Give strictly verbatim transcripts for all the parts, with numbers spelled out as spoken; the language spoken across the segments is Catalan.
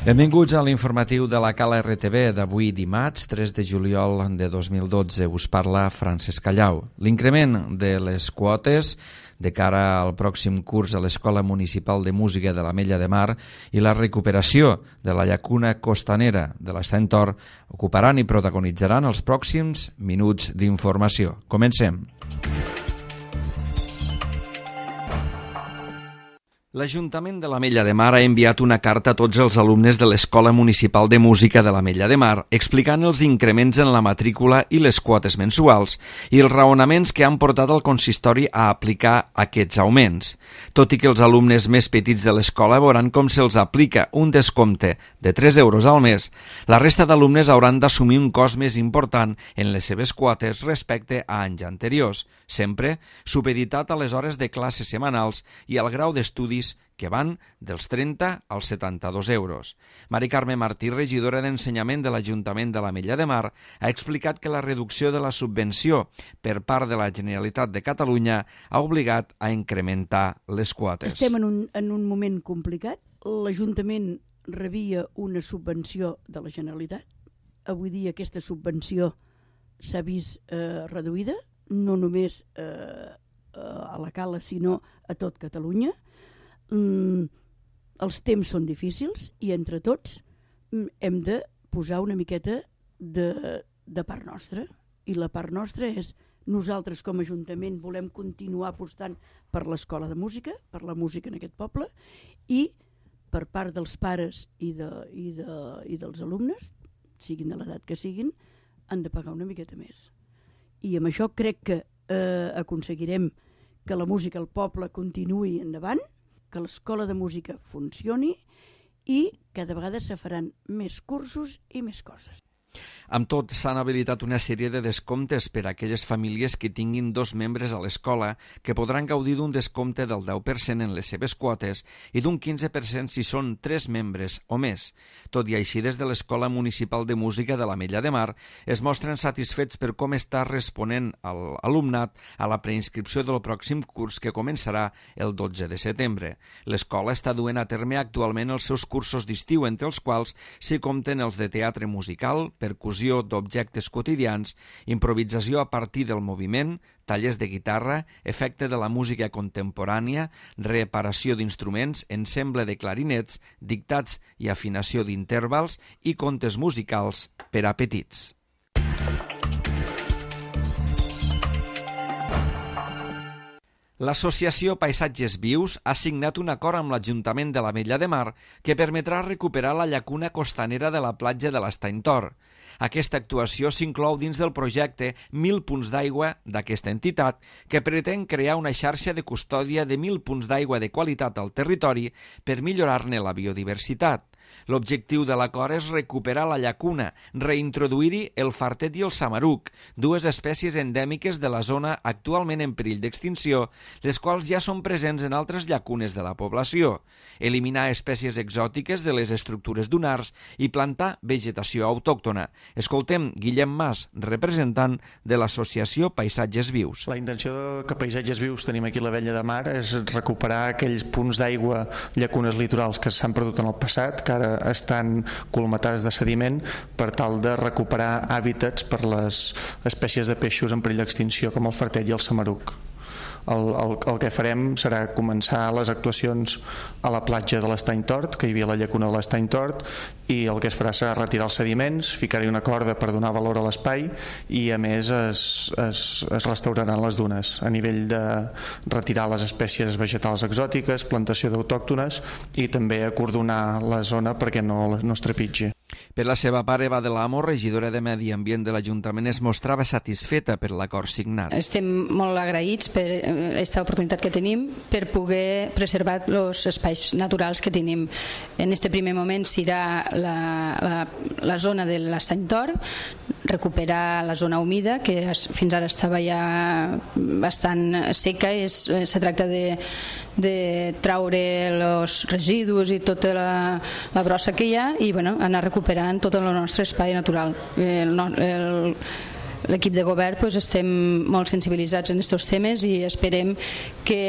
Benvinguts a l'informatiu de la Cala R T V d'avui dimarts, tres de juliol de dos mil dotze. Us parla Francesc Callau. L'increment de les quotes de cara al pròxim curs a l'Escola Municipal de Música de l'Ametlla de Mar i la recuperació de la llacuna costanera de l'Estany Tor ocuparan i protagonitzaran els pròxims minuts d'informació. Comencem. L'Ajuntament de l'Ametlla de Mar ha enviat una carta a tots els alumnes de l'Escola Municipal de Música de l'Ametlla de Mar explicant els increments en la matrícula i les quotes mensuals i els raonaments que han portat al consistori a aplicar aquests augments. Tot i que els alumnes més petits de l'escola veuran com se'ls aplica un descompte de tres euros al mes, la resta d'alumnes hauran d'assumir un cost més important en les seves quotes respecte a anys anteriors, sempre supeditat a les hores de classes setmanals i al grau d'estudis que van dels trenta als setanta-dos euros. Mari Carme Martí, regidora d'Ensenyament de l'Ajuntament de l'Ametlla de Mar, ha explicat que la reducció de la subvenció per part de la Generalitat de Catalunya ha obligat a incrementar les quotes. Estem en un, en un moment complicat. L'Ajuntament rebia una subvenció de la Generalitat. Avui dia aquesta subvenció s'ha vist eh, reduïda, no només eh, a la Cala, sinó a tot Catalunya. Mm, els temps són difícils i entre tots mm, hem de posar una miqueta de, de part nostra, i la part nostra és nosaltres com a Ajuntament volem continuar apostant per l'Escola de Música, per la música en aquest poble, i per part dels pares i, de, i, de, i dels alumnes, siguin de l'edat que siguin, han de pagar una miqueta més. I amb això crec que eh, aconseguirem que la música al poble continuï endavant, que l'Escola de Música funcioni i cada vegada se faran més cursos i més coses. Amb tot, s'han habilitat una sèrie de descomptes per a aquelles famílies que tinguin dos membres a l'escola que podran gaudir d'un descompte del deu per cent en les seves quotes i d'un quinze per cent si són tres membres o més. Tot i així, des de l'Escola Municipal de Música de l'Ametlla de Mar es mostren satisfets per com està responent l'alumnat a la preinscripció del pròxim curs que començarà el dotze de setembre. L'escola està duent a terme actualment els seus cursos d'estiu, entre els quals s'hi compten els de teatre musical, percussió d'objectes quotidians, improvisació a partir del moviment, tallers de guitarra, efecte de la música contemporània, reparació d'instruments, ensemble de clarinets, dictats i afinació d'intervals i contes musicals per a petits. L'associació Paisatges Vius ha signat un acord amb l'Ajuntament de l'Ametlla de Mar que permetrà recuperar la llacuna costanera de la platja de l'Estany Tor. Aquesta actuació s'inclou dins del projecte Mil punts d'aigua d'aquesta entitat, que pretén crear una xarxa de custòdia de mil punts d'aigua de qualitat al territori per millorar-ne la biodiversitat. L'objectiu de l'acord és recuperar la llacuna, reintroduir-hi el fartet i el samaruc, dues espècies endèmiques de la zona actualment en perill d'extinció, les quals ja són presents en altres llacunes de la població, eliminar espècies exòtiques de les estructures dunars i plantar vegetació autòctona. Escoltem Guillem Mas, representant de l'associació Paisatges Vius. La intenció que Paisatges Vius tenim aquí a l'Ametlla de Mar és recuperar aquells punts d'aigua, llacunes litorals que s'han perdut en el passat, que ara estan colmatades de sediment, per tal de recuperar hàbitats per les espècies de peixos en perill d'extinció com el fartet i el samaruc. El, el, el que farem serà començar les actuacions a la platja de l'Estany Tort, que hi havia la llacuna de l'Estany Tort, i el que es farà serà retirar els sediments, ficar-hi una corda per donar valor a l'espai i a més es, es, es restauraran les dunes a nivell de retirar les espècies vegetals exòtiques, plantació d'autòctones i també acordonar la zona perquè no, no es trepitgi. Per la seva part, Eva de l'Amo, regidora de Medi Ambient de l'Ajuntament, es mostrava satisfeta per l'acord signat. Estem molt agraïts per aquesta oportunitat que tenim per poder preservar els espais naturals que tenim. En aquest primer moment serà la, la, la zona de l'Estany Tor, recuperar la zona humida, que fins ara estava ja bastant seca. És, se tracta de, de traure els residus i tota la, la brossa que hi ha i bueno, anar recuperant tot el nostre espai natural. El, el, l'equip de govern pues, estem molt sensibilitzats en aquests temes i esperem que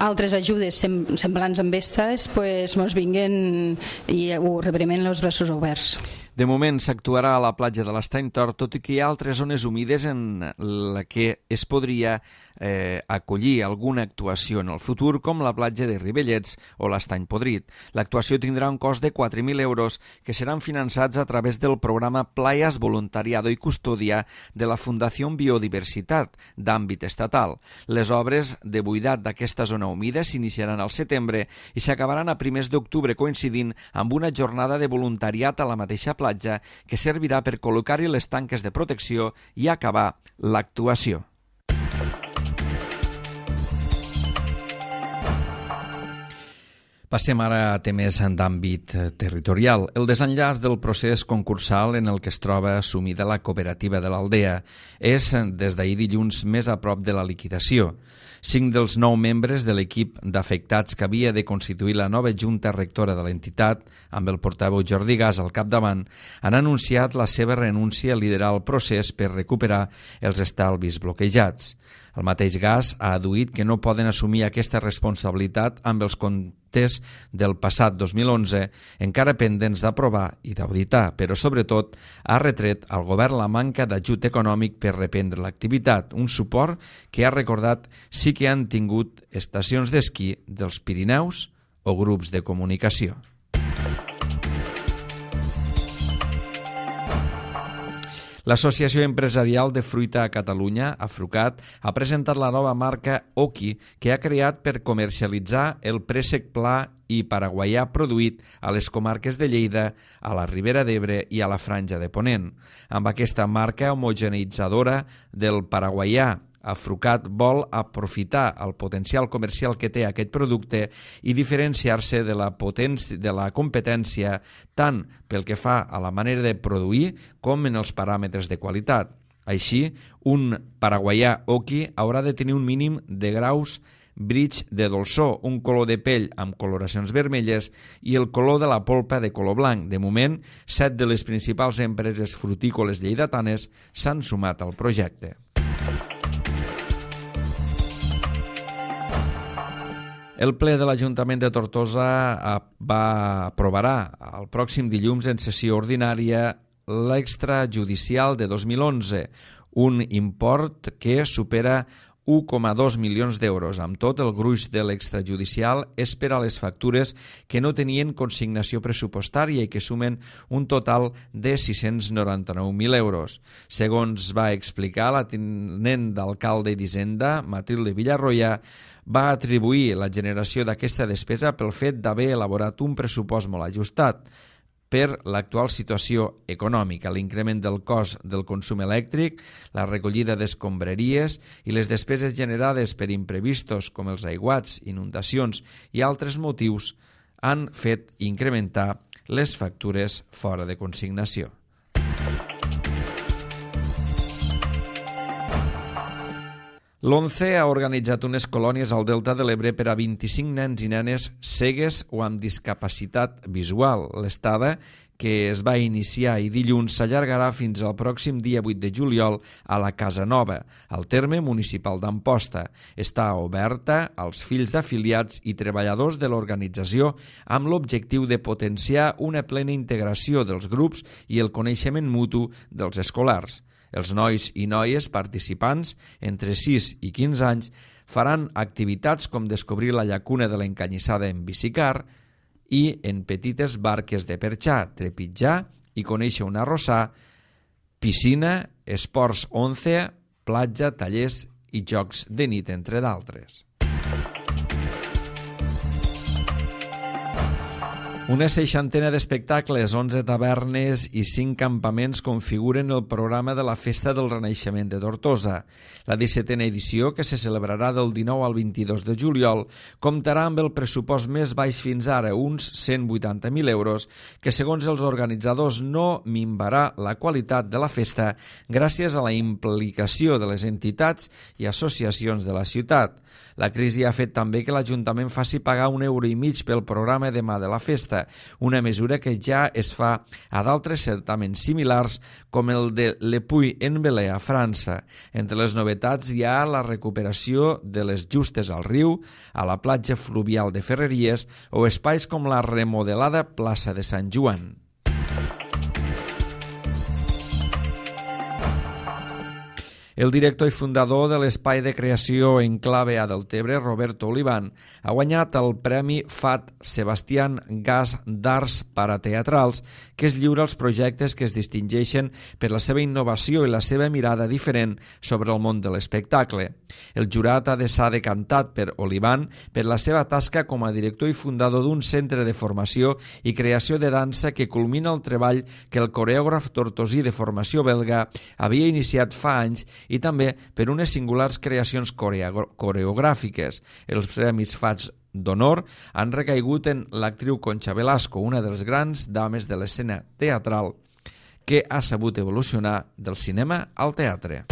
altres ajudes semblants amb aquestes pues, mos vinguen i ho rebrem amb els braços oberts. De moment s'actuarà a la platja de l'Estany Tort, tot i que hi ha altres zones humides en la que es podria eh, acollir alguna actuació en el futur, com la platja de Ribellets o l'Estany Podrit. L'actuació tindrà un cost de quatre mil euros que seran finançats a través del programa Playas Voluntariado i Custodia de la Fundació Biodiversitat d'àmbit estatal. Les obres de buidat d'aquesta zona humida s'iniciaran al setembre i s'acabaran a primers d'octubre, coincidint amb una jornada de voluntariat a la mateixa platja que servirà per col·locar-hi les tanques de protecció i acabar l'actuació. Passem ara a temes d'àmbit territorial. El desenllaç del procés concursal en el que es troba assumida la cooperativa de l'Aldea és, des d'ahir dilluns, més a prop de la liquidació. Cinc dels nou membres de l'equip d'afectats que havia de constituir la nova junta rectora de l'entitat, amb el portaveu Jordi Gas al capdavant, han anunciat la seva renúncia a liderar el procés per recuperar els estalvis bloquejats. El mateix Gas ha adduït que no poden assumir aquesta responsabilitat amb els comptes del passat dos mil onze, encara pendents d'aprovar i d'auditar, però sobretot ha retret al govern la manca d'ajut econòmic per reprendre l'activitat, un suport que ha recordat sí que han tingut estacions d'esquí dels Pirineus o grups de comunicació. L'Associació Empresarial de Fruita a Catalunya, Afrucat, ha presentat la nova marca Oki, que ha creat per comercialitzar el préssec pla i paraguaià produït a les comarques de Lleida, a la Ribera d'Ebre i a la Franja de Ponent. Amb aquesta marca homogeneitzadora del paraguaià, Afrucat vol aprofitar el potencial comercial que té aquest producte i diferenciar-se de la potència de la competència tant pel que fa a la manera de produir com en els paràmetres de qualitat. Així, un paraguaià Oki haurà de tenir un mínim de graus bridge de dolçor, un color de pell amb coloracions vermelles i el color de la polpa de color blanc. De moment, set de les principals empreses frutícoles lleidatanes s'han sumat al projecte. El ple de l'Ajuntament de Tortosa va aprovarà el pròxim dilluns en sessió ordinària l'extrajudicial de dos mil onze, un import que supera un coma dos milions d'euros. Amb tot, el gruix de l'extrajudicial és per a les factures que no tenien consignació pressupostària i que sumen un total de sis-cents noranta-nou mil euros. Segons va explicar la tinent d'alcalde d'Hisenda, Matilde Villarroya, va atribuir la generació d'aquesta despesa pel fet d'haver elaborat un pressupost molt ajustat per l'actual situació econòmica, l'increment del cost del consum elèctric, la recollida d'escombraries i les despeses generades per imprevistos com els aiguats, inundacions i altres motius han fet incrementar les factures fora de consignació. L'ONCE ha organitzat unes colònies al Delta de l'Ebre per a vint-i-cinc nens i nenes cegues o amb discapacitat visual. L'estada, que es va iniciar i dilluns, s'allargarà fins al pròxim dia vuit de juliol a la Casa Nova, al terme municipal d'Amposta. Està oberta als fills d'afiliats i treballadors de l'organització amb l'objectiu de potenciar una plena integració dels grups i el coneixement mutu dels escolars. Els nois i noies participants, entre sis i quinze anys, faran activitats com descobrir la llacuna de l'Encanyissada en bicicar i en petites barques de perxar, trepitjar i conèixer un arrossar, piscina, esports once, platja, tallers i jocs de nit, entre d'altres. Una seixantena d'espectacles, onze tavernes i cinc campaments configuren el programa de la Festa del Renaixement de Tortosa. La dissetena edició, que se celebrarà del dinou al vint-i-dos de juliol, comptarà amb el pressupost més baix fins ara, uns cent vuitanta mil euros, que segons els organitzadors no minvarà la qualitat de la festa gràcies a la implicació de les entitats i associacions de la ciutat. La crisi ha fet també que l'Ajuntament faci pagar un euro i mig pel programa demà de la festa. França, una mesura que ja es fa a d'altres certaments similars com el de Le Puy-en-Velay a França. Entre les novetats hi ha la recuperació de les justes al riu, a la platja fluvial de Ferreries o espais com la remodelada plaça de Sant Joan. El director i fundador de l'espai de creació Enclave a Deltebre, Roberto Olivan, ha guanyat el Premi F A T Sebastián Gas d'Arts Parateatrals, que es lliura als projectes que es distingeixen per la seva innovació i la seva mirada diferent sobre el món de l'espectacle. El jurat ha de s'ha decantat per Olivan per la seva tasca com a director i fundador d'un centre de formació i creació de dansa que culmina el treball que el coreògraf tortosí de formació belga havia iniciat fa anys i també per unes singulars creacions coreogràfiques. Els premis F A T d'honor han recaigut en l'actriu Concha Velasco, una de les grans dames de l'escena teatral que ha sabut evolucionar del cinema al teatre.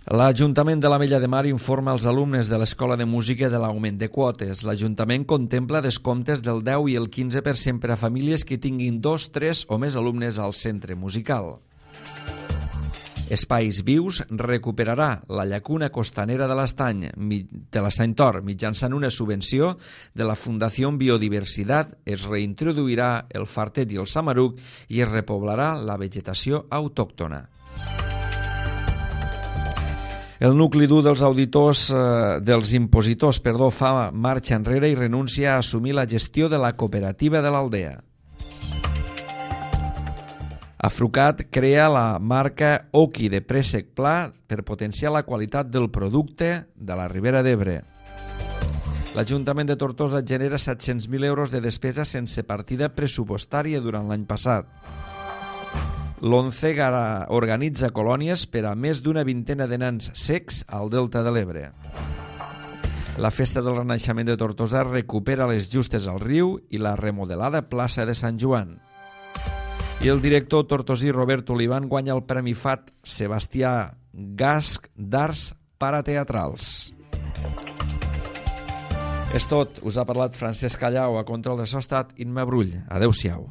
L'Ajuntament de l'Ametlla de Mar informa als alumnes de l'Escola de Música de l'augment de quotes. L'Ajuntament contempla descomptes del deu i el quinze per cent per a famílies que tinguin dos, tres o més alumnes al centre musical. Espais Vius recuperarà la llacuna costanera de l'Estany de l'Estany Tor mitjançant una subvenció de la Fundació Biodiversitat. Es reintroduirà el fartet i el samaruc i es repoblarà la vegetació autòctona. El nucli dur dels auditors, eh, dels impositors, perdó, fa marxa enrere i renuncia a assumir la gestió de la cooperativa de l'Aldea. Afrucat crea la marca Oki de préssec pla per potenciar la qualitat del producte de la Ribera d'Ebre. L'Ajuntament de Tortosa genera set-cents mil euros de despesa sense partida pressupostària durant l'any passat. L'Oncegara organitza colònies per a més d'una vintena de nans cecs al Delta de l'Ebre. La Festa del Renaixement de Tortosa recupera les justes al riu i la remodelada plaça de Sant Joan. I el director tortosí Roberto Olivan guanya el Premi F A T Sebastià Gas d'Arts Parateatrals. És tot. Us ha parlat Francesc Callau, a control de so ha estat Imma Brull. Adéu-siau.